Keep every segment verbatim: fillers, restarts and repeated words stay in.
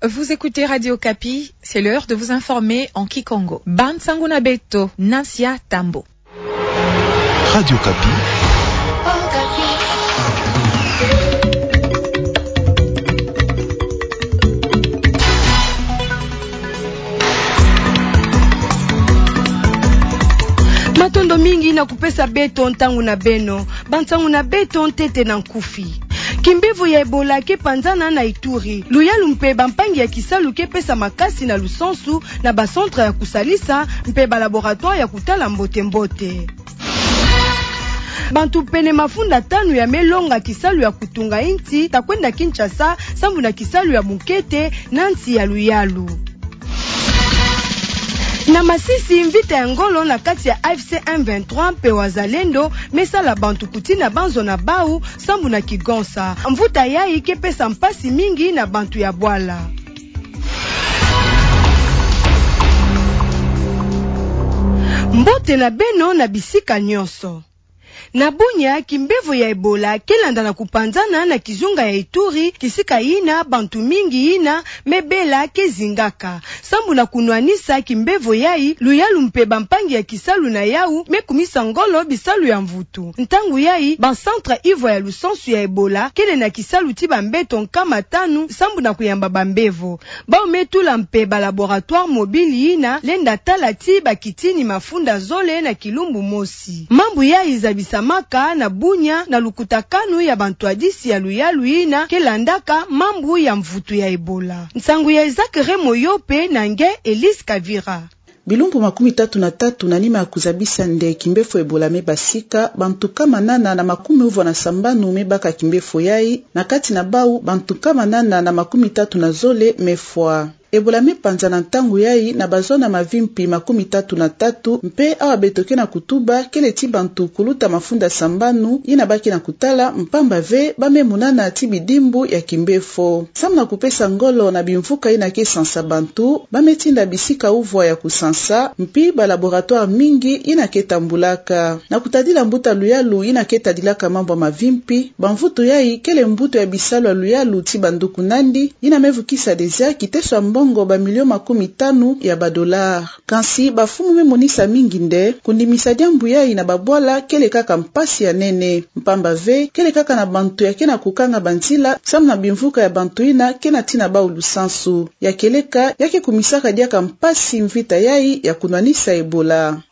Vous écoutez Radio Okapi, c'est l'heure de vous informer en kikongo. Bansangu na beto, Nasia Tambo. Radio Okapi. Matondo mingi na kupesa beto ntangu na beno. Bansangu na beto ntete na nkufi. Kimbevo ya Ebola ke panzana na Ituri. Luyalu mpe bampangi ya kisalu ke pesa makasi na lusansu na ba centre ya kusalisa mpe ba laboratoire ya kutala mbote-mbote. Bantu pene mafunda tanu ya me longa kisalu ya kutunga insi ta kwenda Kinshasa sambu na kisalu ya mukete na nsi ya luyalu. Na Masisi, mvita ya ngolo na kati ya A F C M vingt-trois mpe Wazalendo me sala bantu kutina banzo na bau sambu na kigonsa. Mvuta yayi ke pesa mpasi mingi na bantu ya bwala. Mbote na beno na bisika nyonso. Na Bunia, kimbevo ya Ebola ke landa na kupanzana na kizunga ya Ituri, kisika yina bantu mingi yina me bela ke zingaka. Sambu na kunwanisa kimbevo yayi, luyalu mpe bampangi ya kisalu na yau me kumisa ngolo bisalu ya mvutu. Ntangu yayi, ba centre ivwa ya lusansu ya Ebola kele na kisalu ti bambeto nkama tanu sambu na kuyamba bambevo. Bau me tula mpe ba laboratoire mobile yina lenda tala ti bakitini mafunda zole na kilumbu mosi. Mambu yayi zabisamaka na Bunia na lukutakanu ya bantwadisi ya luyalu yina ke landaka mambu ya mvutu ya Ebola. Nsangu ya Isaac Remoyo mpe na nge Elise Kavira. Bilumbu makumi tatu na tatu na nima ya kuzabisa nde kimbevo Ebola me basika, bantu nkama nana na makumi uvwa na sambanu me baka kimbevo yayi, na kati na bau bantu nkama nana na makumi tatu na zole me fwa. Ebola me panzana ntangu yayi na bazona mavimpi makumi tatu na tatu, mpe awa beto ke na kutuba kele ti bantu kuluta mafunda sambanu yina ba ke na kutala, mpamba ve ba me munana ti bidimbu ya kimbevo. Sambu na kupesa ngolo na bimvuka yina ke sansa bantu, ba me tinda bisika uvwa ya kusansa, mpi ba laboratoire mingi yina ke tambulaka. Na kutadila mbuta luyalu yina ke tadilaka mambu ya mavimpi, bamvutu yayi kele mbuta ya bisalu ya luyalu ti banduku nandi, yina me vukisa déjà kiteso ya mbongo ba milio makumi tanu ya ba dollars. Kansi bamfumu me monisa mingi nde kundimisa diambu yayi na babwala kele kaka mpasi ya nene. Mpamba ve, kele kaka na bantu ya ke na kukanga banzila sambu na bimvuka ya bantu yina ke na tina bau lusansu. Ya kieleka, ya ke kumisaka diaka mpasi mvita yayi ya kunwanisa Ebola.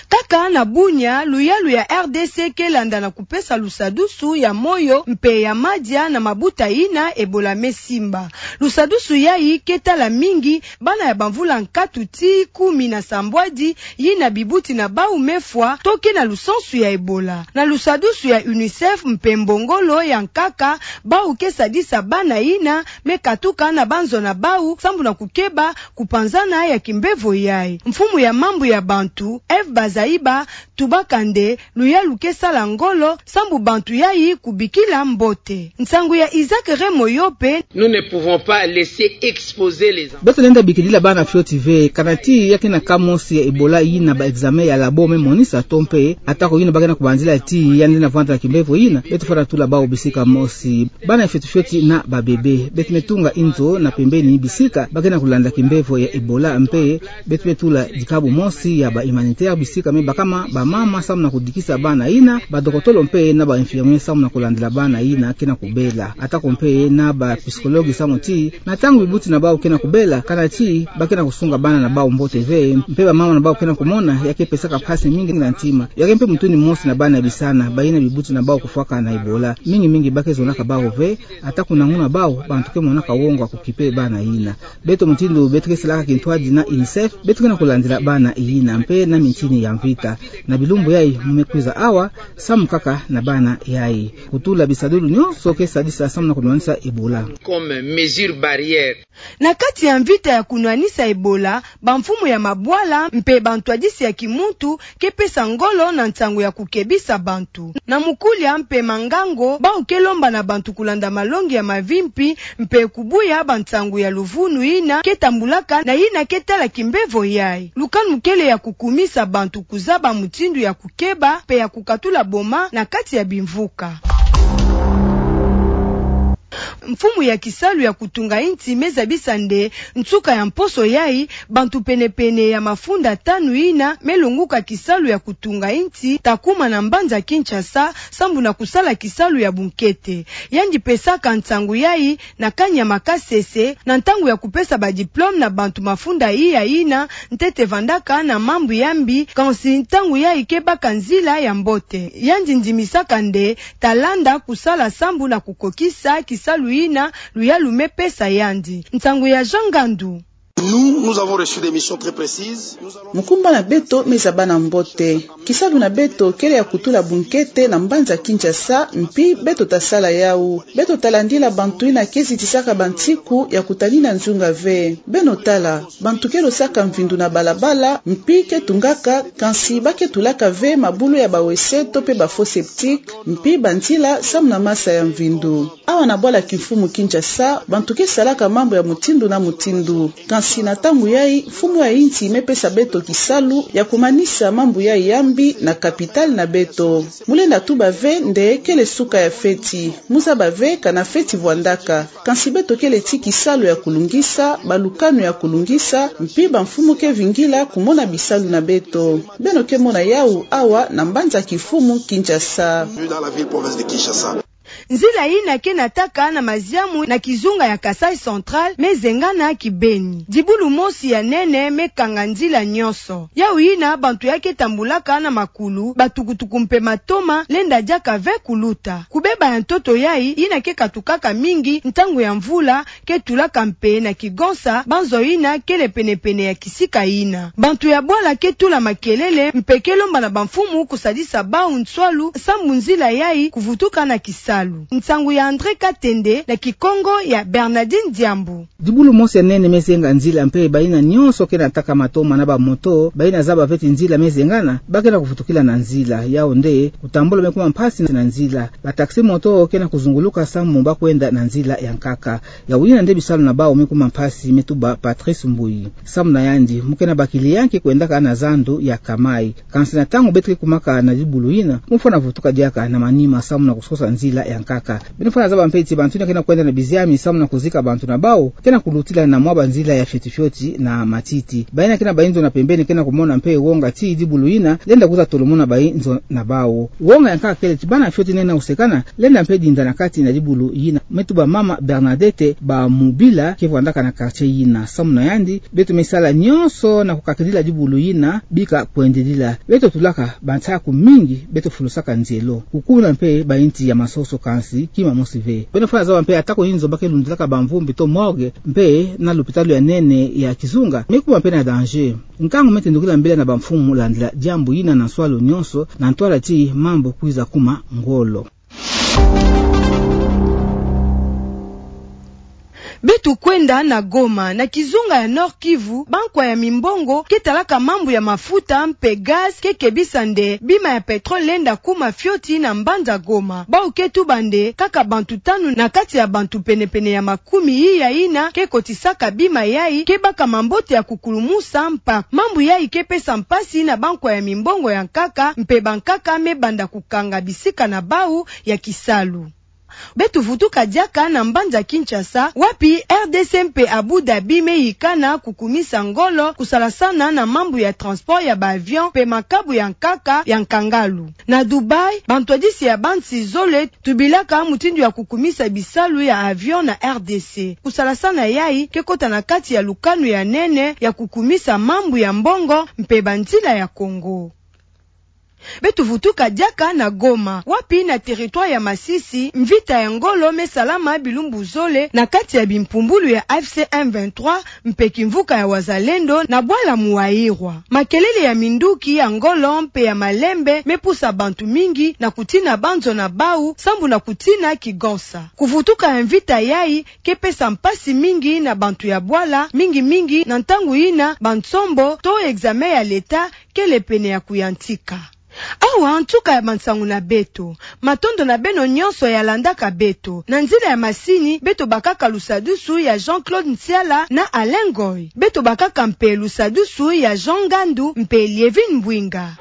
Kaka na Bunia, luyalu ya R D C ke landa na kupesa lusadusu ya moyo mpe ya madia na mabuta yina Ebola me simba. Lusadusu yayi ke tala mingi bana ya bamvula nkatu tii kumi na sambwadi yina bibuti na bau me fwa to ke na lusansu ya Ebola. Na lusadusu ya UNICEF mpe mbongolo ya nkaka, bau ke sadisa bana yina me katuka na banzo na bau sambu na kukeba kupanzana ya kimbevo yayi. Mfumu ya mambu ya bantu, Eve Bazaiba, tubaka nde luyalu ke sala ngolo sambu bantu yayi kubikila mbote. Nsangu ya Isaac Remoyo mpe. Nous ne pouvons pas laisser exposer les enfants. Beto lenda bikilila bana fioti ve, kana ti ya ke na cas mosi ya Ebola yina ba examen ya labo me monisa to mpe, atako yina ba ke na kubanzila ti yandi na vwanda na kimbevo yina, beto fwana tula bau bisika mosi. Bana fioti fioti na ba bébé. Beto me tunga inzo na pembeni bisika ba ke na kulanda kimbevo ya Ebola mpe beto me tula dikabu mosi ya ba humanitaire bisika me bakama bamama samu na kudikisa bana yina, badokotolo mpe na ba infirmier samu na kulandila bana yina ke na kubela. Atako mpe na ba psychologue samu ti na ntangu bibuti na bau ke na kubela, kana ti ba ke na kusunga bana na bau mbote ve, mpe bamama na bau ke na kumona, ya ke pesaka mpasi mingi na ntima. Ya ke mpe mutuni mosi na bana bisana, bayina bibuti na bau kufwaka na Ebola. Mingi mingi ba ke zonaka bau ve, ata kuna nguna bau, bantu ke monaka wongo ya kukipe bana yina. Beto mutindu beto ke salaka kintwadi na UNICEF, beto ke na kulandila bana yina, mpe na mintini ya mvita. Na bilumbu yayi mu me kwiza awa, samu kaka na bana yayi. Kutula bisadulu nyonso ke sadisa samu na kunwanisa Ebola. Comme mesure barrière. Na kati ya mvita ya kunwanisa Ebola, bamfumu ya mabwala mpe bantwadisi ya kimuntu ke pesa ngolo na nsangu ya kukebisa bantu. Na mukulia mpe mangango, bau ke lomba na bantu kulanda malongi ya mavimpi mpe kubuya bansangu ya luvunu yina ke tambulaka na yina ke tala kimbevo yayi. Lukanu kele ya kukumisa bantu kuzaba mutindu ya kukeba mpe ya kukatula boma na kati ya bimvuka. Mfumu ya kisalu ya kutunga insi me zabisa nde nsuka ya mposo yayi, bantu pene-pene ya mafunda tanu yina me longuka kisalu ya kutunga insi ta kuma na mbanza Kinshasa, sambu na kusala kisalu ya bunkete. Yandi pesaka nsangu yayi na kani ya makasese, na ntangu ya kupesa ba diplôme na bantu mafunda iya yina, ntete vandaka na mambu ya mbi, kansi ntangu yayi ke baka nzila ya mbote. Yandi ndimisaka nde ta landa kusala sambu na kukokisa kisalu yina luyalu me pesa yandi. Nsangu ya Jean Ngandu. Nous, nous avons reçu des missions très précises. Nous allons... Mukumba na beto me zaba na mbote. Kisalu na beto kele ya kutula bunkete na mbanza Kinshasa, mpi beto ta sala yawu. Beto ta landila bantu yina ke zitisaka bansiku ya kutanina nzunga ve. Beno tala, bantu ke dosaka mvindu na balabala, mpi ke tungaka, kansi ba ke tulaka ve mabulu ya ba wese to pe ba fosse septique, mpi banzila samu na masa ya mvindu. Awa na bwala kimfumu Kinshasa, bantu ke salaka mambu ya mutindu na mutindu. Kansi na ntangu yayi, mfumu ya insi me pesa beto kisalu ya kumanisa mambu yayi ya mbi na capitale na beto. Mu lenda tuba ve nde kele suka ya feti. Mu zaba ve kana feti vwandaka. Kansi beto kele ti kisalu ya kulungisa, balukanu ya kulungisa, mpi bamfumu ke vingila kumona bisalu na beto. Beno ke mona yawu awa na mbanza kimfumu Kinshasa. Dans la ville province de Kinshasa. Nzila yina ke nataka na maziamu na kizunga ya Kasaï Central me zengana kibeni. Dibulu mosi ya nene me kanga nzila nyonso. Yawu yina bantu ya ke tambulaka na makulu, batukutuku mpe matoma, lenda diaka ve kuluta. Kubeba ya ntoto yayi, yina ke katukaka mingi ntangu ya mvula, ke tulaka mpe na kigonsa, banzo yina kele pene-pene ya kisika yina. Bantu ya bwala ke tula makelele, mpe ke lomba na bamfumu kusadisa bawu nswalu, sambu nzila yayi kuvutuka na kisalu. Nsangu ya André Katende, na Kikongo ya Bernardine Diambu. Dibulu mosi ya nene me zenga nzila mpe bayina nyonso ke nataka matoma na bamoto, bayina zaba ve ti nzila me zengana, ba ke na kuvutukila na nzila. Yawu nde, kutambula me kuma mpasi na nzila. Ba taxi-moto ke na kuzunguluka sambu ba kwenda na nzila ya nkaka. Yawu yina nde bisalu na bawu me kuma mpasi, me tuba Patrice Mbuyi. Samu na yandi, mu ke na ba client ke kwendaka na zandu ya Kamai. Kansi na ntangu beto ke kumaka na dibulu yina, mu fwana vutuka diaka na manima samu na kusosa nzila ya nkaka. Beno fwana zaba mpe ti bantu yina ke na kwenda na biziami samu na kuzika bantu na bawu, ke na kulutila na mwa banzila ya fioti-fioti na matiti. Bayina ke na bayinzo na pembeni ke na kumona mpe wonga ti dibulu yina lenda kwiza tolomona bayinzo na bawu. Wonga ya nkaka kele ti bana fioti nene usekana, lenda mpe dinda na kati na dibulu yina. Me tuba mama Bernadette Bamubila ke vwandaka na quartier yina. Samu na yandi, beto me sala nyonso na kukakidila dibulu yina, bika kwendidila. Beto tulaka bansaku mingi, beto fulusaka nzelo. Kukuna mpe bayinsi ya masoso kansi, kima mosi ve. Beno fwana zaba mpe ata ko yinzo ba ke lundilaka bamvumbi to morgue, mpe na lopitalo ya nene ya kizunga, me kuma mpe na danger. Nkangu me tendukila mbila na bamfumu landila diambu yina na nswalu nyonso, na ntwala ti mambu kwiza kuma ngolo. Beto kwenda na Goma, na kizunga ya Nord-Kivu, bankwa ya mimbongo ke talaka mambu ya mafuta mpe gaz ke kebisa nde bima ya pétrole lenda kuma fioti na mbanza Goma. Bawu ke tuba nde kaka bantu tanu na kati ya bantu pene-pene ya makumi iya yina ke kotisaka bima yayi ke baka mambote ya kukulumusa mpako. Mambu yayi ke pesa mpasi na bankwa ya mimbongo ya nkaka, mpe bankaka me banda kukanga bisika na bawu ya kisalu. Beto vutuka diaka na mbanza Kinshasa, wapi R D C mpe Abu Dhabi me yikana kukumisa ngolo kusalasana na mambu ya transport ya ba avion mpe makabu ya nkaka ya nkangalu. Na Dubaï, bantwadisi ya bansi zole tubilaka mutindu ya kukumisa bisalu ya avion na R D C. Kusalasana yayi ke kota na kati ya lukanu ya nene ya kukumisa mambu ya mbongo mpe banzila ya Congo. Beto vutuka diaka na Goma, wapi na territoire ya Masisi, mvita ya ngolo me salama bilumbu zole na kati ya bimpumbulu ya A F C M vingt-trois mpe kimvuka ya Wazalendo na bwala Muayirwa. Makelele ya minduki ya ngolo mpe ya malembe me pusa bantu mingi na kutina banzo na bawu, sambu na kutina kigonsa. Kuvutuka ya mvita yayi ke pesa mpasi mingi na bantu ya bwala, mingi-mingi na ntangu yina bansombo to examen ya leta kele pene ya kuyantika. Awa nsuka ya bansangu na beto. Matondo na beno nyonso ya landaka beto. Na nzila ya masini, beto bakaka lusadusu ya Jean-Claude Nsiala na Alain Ngoy. Beto bakaka mpe lusadusu ya Jean Ngandu mpe Lievine Mbwinga.